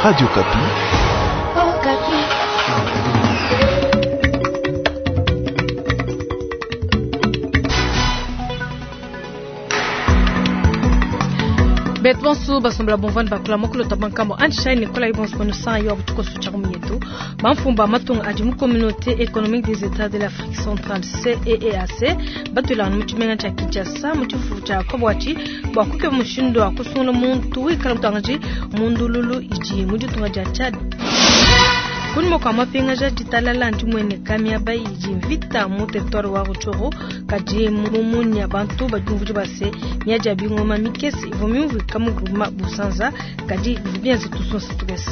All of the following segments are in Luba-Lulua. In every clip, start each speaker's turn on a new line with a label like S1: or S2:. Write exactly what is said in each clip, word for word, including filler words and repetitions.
S1: Radio Okapi.
S2: Okapi.
S3: Beto bonso basombela bomvani bakula mokolo ta bankambo anshai nikola ibonso kono san yo butuko su tshaka muyetu bamfumba matunga adi mu communauté économique des états de l'Afrique centrale C E E A C batwelana mu tshimenga tshia Kinshasa mu tshifufu tshia kobwatshi bua kukeba mushindu wa kusungula muntu wikala mutangaji mundululu idi mu ditunga dia Tchad. Kunyima kua mapingaja ditalala ndimueneka miaba idi mvita mu territoire wa Rutshuru kadi mumunya bantu badi base miadi ya bingoma mikese ivua miumvuika mu groupement Busanza kadi bivua bienza tusonsa tukese.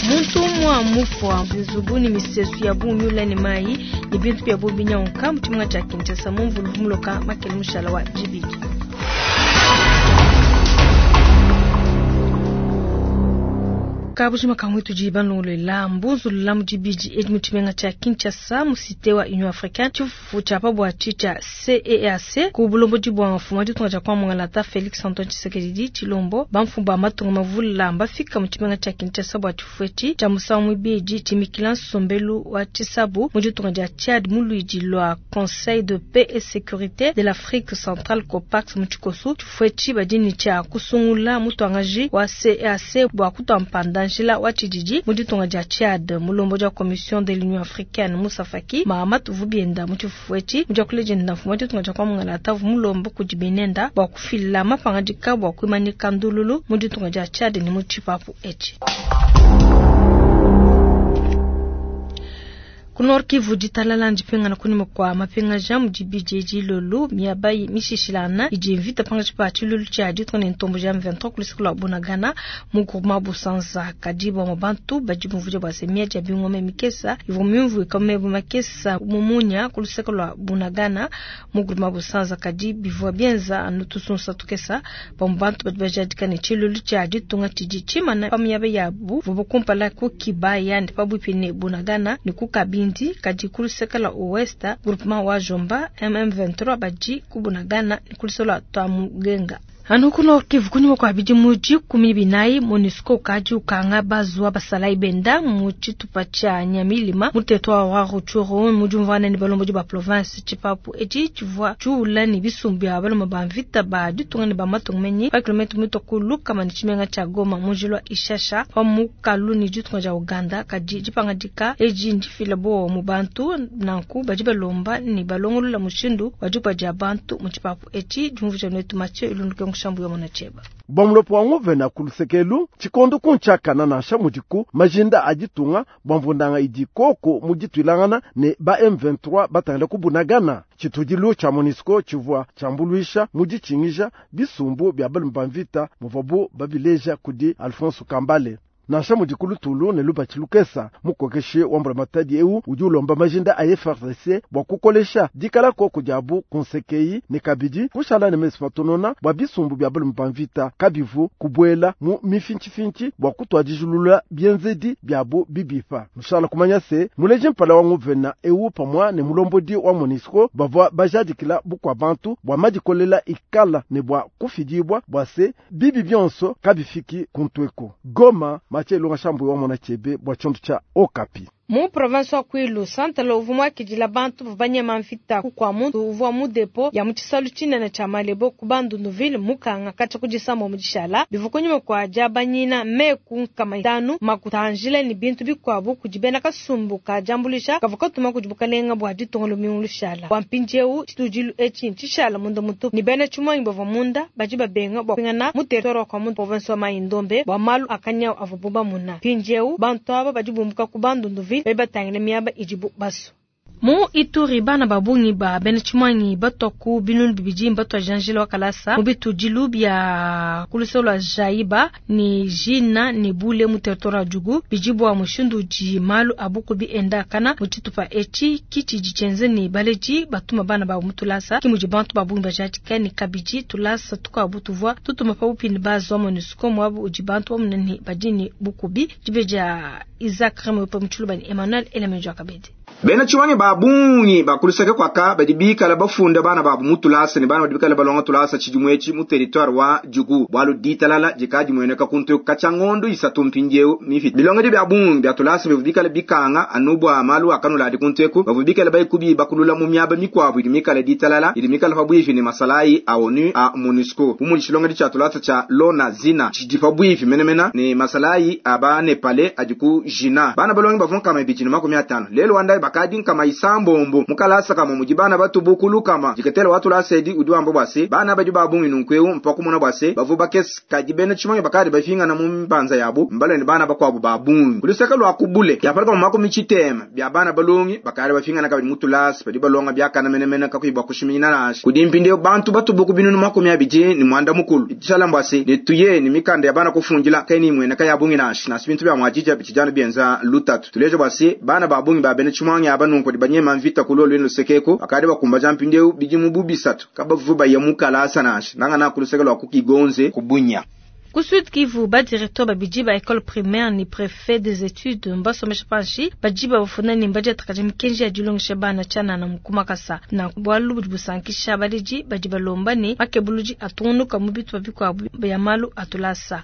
S3: Muntu umua mufua nzubu ne misesu ya bungi ne mayi ne bintu bia bungi binyanguka mu tshimenga tshia Kinshasa mu mvulu muloka makele mushala wa dibidi. Kabujima kamwe tudi banlongolola mbunzulula mu dibidi edi mu tshimenga tshia Kinshasa mu cité wa Union africaine tshifufu tshia pa bua tshia C E E A C ku bulombodi bua mfumu wa ditunga dia kwa Mongalata Felix Antoine Tshisekedi Tshilombo. Bamfumu ba matunga mavula mbafika mu tshimenga tshia Kinshasa bua tshifufu etshi tshia musangu muibidi tshimikila nsombelu wa tshisabu mu ditunga dia Tchad mu luidi lua Conseil de paix et sécurité de l'Afrique centrale COPAX mu tshikosu. Tshifufu etshi badi ne tshia kusungula mutuangaji wa C E E A C bua kutua mpanda njila wa tshididi mu ditunga dia Tchad. Mulombodi wa Commission de l'Union africaine Moussa Faki Mahamat vubienda mu tshifufu etshi mu diakula dienda mfumu wa ditunga dia kwa Mongalata mulombo kudi benenda bua kufila mapangadika bua kuimanyika ndululu mu ditunga dia Tchad ne mu tshipapu etshi. Ku Nord Kivu ditalala ndipingana kunyima kua mapingaja mu dibidi edi lolu miaba mishishilana idi mvita pangatshi pa tshilulu tshia ditunga ne ntombo ja M vingt-trois ku luseke lua Bunagana mu groupement Busanza. Kadi bamue bantu badi bumvuija bua se miadi ya bingoma mikesa ivua miumvuika mu meba makesa mu munya ku luseke lua Bunagana mu groupement Busanza kadi bivua bienza anu tusunsa tukesa. Bamue bantu badi bajadika ne tshilulu tshia ditunga tshidi tshimana pa miaba yabu vubu kumpala ku Kibaya ne pabuipi ne Bunagana ne ku Kabindi kadi ku luseke lua ouest groupement wa Jomba M M vingt-trois badi ku Bunagana ne ku luseke lua Twamugenga. Anu ku Nord Kivu kunyima kua bidimu dikumi binayi MONUSCO ukadi ukanga bazuwa basalayi benda mu tshitupa tshia Nyamilima mu territoire wa Rutshuru mu diumvuana ne balombodi ba province. Tshipapu etshi tshivua tshiula ne bisumbu bia balume ba mvita ba ditunga ne ba matunga menyi pa kilomètre mutua ku lukama ne tshimenga tshia Goma mu njila wa Ishasha pa mukalu ne ditunga dia Uganda. Kadi dipangadika edi ndifila bowa mu bantu nanku badi balomba ne balongolola mushindu wa dikuba dia bantu mu tshipapu etshi. Diumvuija netu Mathieu Ilunduke Kushambu ya mwana cheba.
S4: Bua mulopo wa nguvena ku lusekelu tshikondo kuntshakana nansha mudiku majinda a ditunga bua mvundanga idi koko mu dituilangana ne ba M vingt-trois batangila kubunagana. Tshitudilu tshia MONUSCO tshivua tshiambuluisha mu ditshingija bisumbu bia balume ba mvita muvuabu babileja kudi Alphonse Kambale. Nansha mudi lutulu ne lubatshi lukesa mukokeshi wa mbulamatadi eu udi ulomba majinda a F A R D C bua kukolesha dikala koko diabu ku nsekeyi ne kabidi kushala ne mesu matonona bua bisumbu bia balume ba mvita kabivu kubuela mu mifintshifinshi bua kutuadijulula bienzedi biabu bibipa. Nushala kumanya se muleji mpala wa nguvena eu pamua ne mulombodi wa MONUSCO bavua bajadikila bukua bantu bua madikolela ikala ne bua kufidibua bua se bibi bionso kabifiki kuntweku. Goma, Mathieu Ilunga Shambu wa mwana chebe bua tshiondo tshia Okapi.
S3: Mu province wa Kwilu santala uvua muakidila bantu bavua banyema mvita kukua muntu uvua mu depo ya mu tshisalu tshinene tshia Malebo ku Bandunduville mukanga katshia ku disambo mu dishala bivua kunyima kua diabanyina meku nkama itanu makuta a njila ne bintu bikuabu kudi bena kasumbu ka diambuluisha kavua katuma kudi bukalenga bua ditunga lumingu lushala. Bua mpindieu tshitudilu etshi ntshishala munda mutupu ne bena tshimuangi bavua munda badi babenga bua kupingana mu territoire wa kwa province wa Mai-Ndombe bua malu a kanyawu avuabu bamuna. Mpindieu bantu aba badi bumbuka ku Bandunduville badi batangila miaba idibu basue. Mu Ituri bana ba bungi ba bena tshimuangi batwa ku binunu bibidi mbatwa janjila wa kalasa mu bitudilu bia ku luseke lua Jaiba ne Jina ne Bule mu territoire wa Djugu bidi bua mushindu udi malu a bukubi enda kana mu tshitupa etshi kitshidi tshienze ne baledi batuma bana babu mu tulasa ki mudi bantu ba bungi bajadika ne kabidi tulasa tukuabu tuvua tutuma pabupi ne bazu wa MONUSCO muabu udi bantu bamuna ne badi ne bukubi. Dibe dia Isaac Remoyope mu tshiluba ne Emmanuel Elemenjo Akabedi.
S1: Bena tshiwangi ba bungi ba kuluseke kwaka badi bikala bafunda bana babu mu tulasa ne bana badi bikala balonga tulasa tshidimu etshi mu territoire wa Djugu bwalu ditalala dikadi mueneka kuntu katshia ngondo isatu mpindieu mifita bilongedi bia bungi bia tulasa bivua bikala bikanga anu bua malu akanula adi kuntu eku bavua bikala bayikubi bakulula mu miaba mikuabu idi mikala ditalala idi mikala pabuipi ne masalayi a ONU a MONUSCO bu mudi tshilongedi tshia tulasa tshia Lona Zina tshidi pabuipi menemene ne masalayi a ba Nepale adi ku Jina bana balongi bavua nkama ibidi ne makumi atano lelo wandai bakadi nkama isambombo mukalasa kamwe mudi bana batubu kama diketela watu lasedi udi wamba bwase bana badi babungi nunkweu mpaka kumona bwase bavu bakesi kadi bena tshimange bakadi bafingana mu mpanza yabo mbalo ne bana bakwabu babungi kuluseka lwa kubule yapalika mu makumi tshitema bya bana balongi bakadi bafingana kabidi mutulasi badi balonga byakana menemene kakuyi kushimina nasha kudi mpindieu bantu batubu kubinunu makumi abidi ni mwanda mukulu tshala mbwase ne tuye ni mikanda ya bana kufundila kaini mwene kayabungi nasha nasi bintu bya mwajija bichijana byenza lutatu tuleje bwase bana babungi ba bena tshimange aba nunku di banyema mvita kulolo lwenu sekeko akade bakumba jampindeu bidimu bubisatu kabavuba ya mukalasa nasha nanga na kuluseka lwa kukigonze kubunya.
S3: Ku Sud Kivu ba directeur babidi ba école primaire ni préfet des études mbasomesha panshi badi bafuna ni mbaji atakaje mikenji ya dilongesha bana chana na mukumakasa na bwalu budi busankisha baledi badi balomba ne makebuluji atungunuka mu bitu bikwabu ya malu atulasa.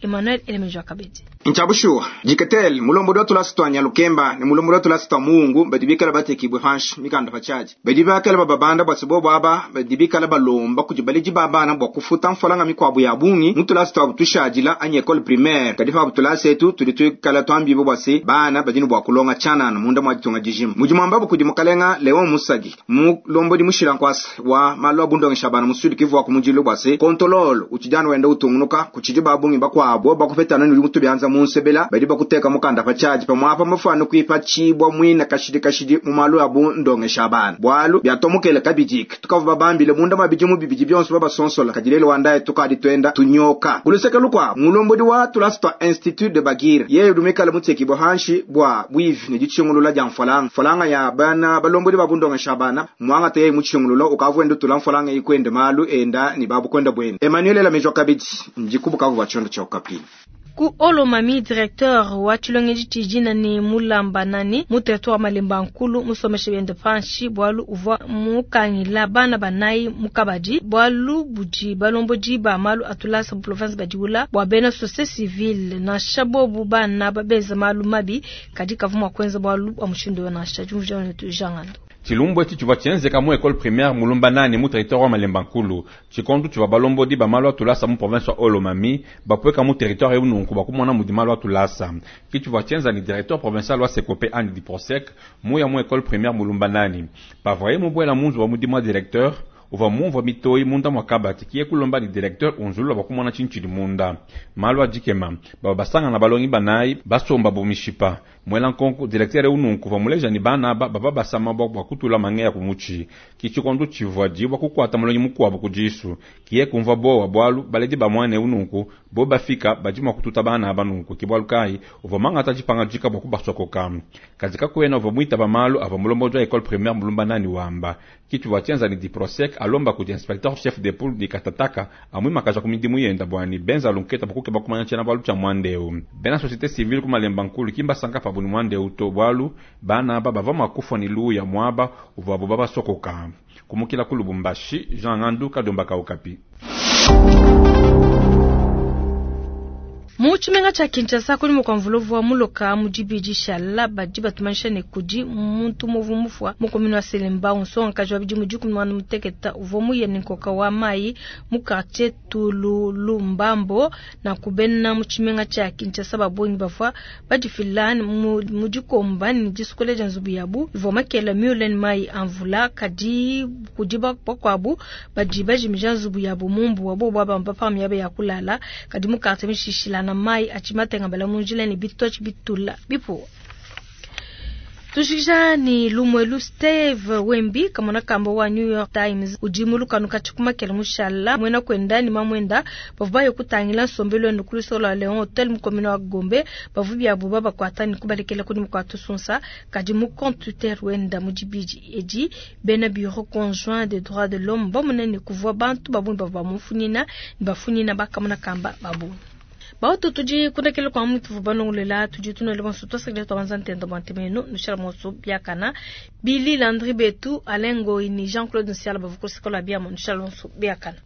S3: Emmanuel Elemejo Kabedi.
S1: Nchabushuwa jiketel mulombo do tulasa twanya lukemba ne mulombo do tulasa twa mungu badi bikala batekibwe panshi mikanda pachaji badi bakala babanda bwasibo bwaba badi bikala balomba kujibaliji babana bwa kufuta mfolanga mikwabu ya bungi mutulasa twa tushajila anye école primaire kadi fa butulasa etu tudi tukala twambibo bwasi bana badini bwa kulonga chanana munda mwa ditunga dijima mujimwamba kudi mukalenga Leon Musagi mulombo di mushila nkwasa wa malo abundongesha bana musudi Kivu wa kumujilo bwasi kontololo uchijana wenda utungunuka kuchiji babungi bakwabo bakupetana ni mutu byanza munsebela badi bakuteka mukanda pachaji pamwapa mafano kuipa chibwa mwina kashidi kashidi mu malu abundongesha bana bwalu byatomukele kabijik tukavuba bambile munda mabiji mu bibiji byonso babasonsola kadilelo wandaye tukadi twenda tunyoka kuluseka lukwa mulombodi wa tulasa institut de Bagira yeye dumikala muteki bohanshi bwa bwivi ne dichingulula ja mfolanga mfolanga ya bana balombodi babundongesha bana mwanga teye muchingulula ukavwenda tula mfolanga ikwende malu enda ni babu kwenda bwene Emmanuel Lamejwa Kabidi njikubuka vuba chondo cha Okapi.
S3: Ku Olomami directeur wa tshilongedi tshijina ni mulamba nani mu territoire Malemba Nkulu musomeshe biende panshi bwalu uvwa mukangila bana banayi mukabadi bwalu budi balombodi ba malu atulasa mu province badiula bwa bena société civile na shabobu bana babeza malu mabi kadi kavuma kwenza bwalu bwa mushindo na shajumvya netu jangando.
S5: Tshilumbu eti tshivua tshienzeka mu école primaire mulumba nani mu territoire wa Malemba Nkulu tshikondu tshivua balombodi ba malu atulasa mu province wa Olomami bapweka mu territoire eu nunku bakumona mudi malu atulasa ki tshivua tshienza ni directeur provincial wa Sekope andi di Prosec muya mu école primaire mulumba nani pavaye mubwela munzu wa mudimu wa directeur uva mumvua mitoyi munda mwa kabati kiye kulomba ni directeur unzulula bakumona tshintshidi munda malu adikema baba basanga na balongi banayi basomba bomishipa mwela nkonko directeur eu nunku va muleja ni bana aba baba basama bwa bwa kutula mangeya kumuchi kichikondu tshivua dibwa kukwata mulongi mukuabu kudisu kiye kumva bowa bwalu baledi ba mwana eu nunku bo bafika badi mua kututa bana aba nunku kibwalu kai uva mangata tshipanga dika bwa kubasokoka kazi kakwena uva mwita ba malu ava mulomboji wa école primaire mulumba nani wamba kitshivua tshienza ni diprosec alomba kudi inspecteur chef de poule di katataka amwi makaja ku midimu yenda bwani benza lunketa bakuke bakumanya tshiena bwalu tshia mwandeu bena société civile ku Malemba Nkulu kimba sanka pabu ni mwandeu to bwalu bana aba bava makufa ni luya mwaba uvabu babasokoka kumukila ku Lubumbashi Jean Ngandu Kadomba Kaukapi.
S3: Mu tshimenga tshia Kinshasa kuli mukwamvuluvu wa muloka mudibidi shala badi batumanisha ne kudi muntu muvu mufwa mukomini wa Selemba unsonga kaji wa bidimu dikumi mwana muteketa uvua muye ne nkoka wa mayi mu quartier Tululumbambo na kubena mu tshimenga tshia Kinshasa babongi bavua badifila mu dikomba ne disukula dia nzubu yabu ivua makela miule ne mayi amvula kadi kudi bakuabu badi bajimija nzubu yabu mumbu wabo bwabamba pa miaba ya kulala kadi mu quartier mishishila na mai achimatenga bala munjila ni bitochi bitula bipo. Tushikisha ni Lumwelu Steve Wembi kamona kamba wa New York Times ujimulu kanu kachikuma kele mushala mwena kwenda ni mamwenda bavuba yokutangila nsombelo enu kulusola Leon Hotel mukomino wa Gombe bavubi abu baba kwata ni kubalekela kuni mkwatu sunsa kadi mu compte Twitter wenda mujibiji edi bena bureau conjoint des droits de l'homme bamunene kuvua bantu babu bavuba mufunina ni bafunina bakamona kamba babu. Bautu tudi kundekele kwa mutu vubalongolela tudi tunele bonso twasakile twabanza ntenda bwa ntemeno nushala monso biakana Billy Landry Betu Alain Ngoyi ni Jean-Claude Nsiala bavuko sikola biamo nushala bonso biakana.